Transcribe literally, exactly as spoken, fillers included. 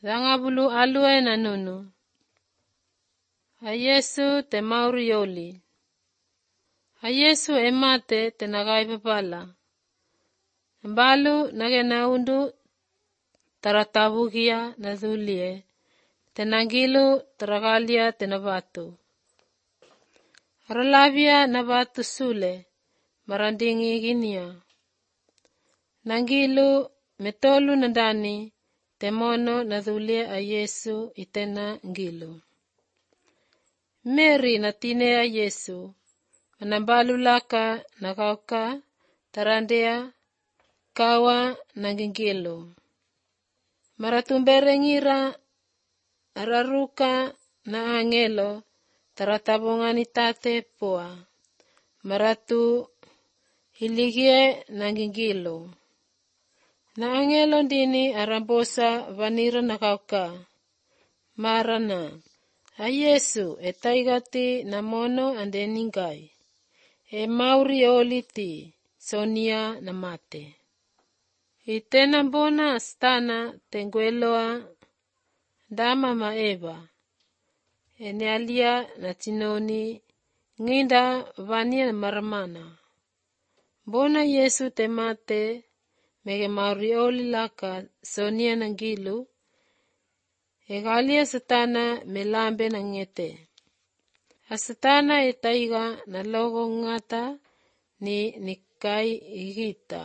Dangabulu alue na nunu. A Yesu te mauri yoli. A Yesu emate te nagai babala. Mbalu nage naundu taratabugia na dhulie. Te nangilu taragalia te nabatu. Aralavia nabatu sule marandingi ginia. Nangilu metolu nandani temono na dhulie a Yesu itena ngilu. Mary na tine a Yesu manambalu laka nakauka tarandea kawa nangingilu. Maratumbere ngira araruka na angelo taratabongani tate poa. Maratu hiligie nangingilu. Na angelo dini arambosa vanira nakauka. Marana. A Yesu etaigati na mono ande ningai. E mauri oliti sonia na mate. Itena bona stana tengueloa dama maeba. Ene alia na tinoni nginda vania maramana. Bona Yesu te mate mege mauri oli laka sonia nangilu. Egalia satana melambe na ngete. Asatana etaiga na logo ngata ni nikai igita.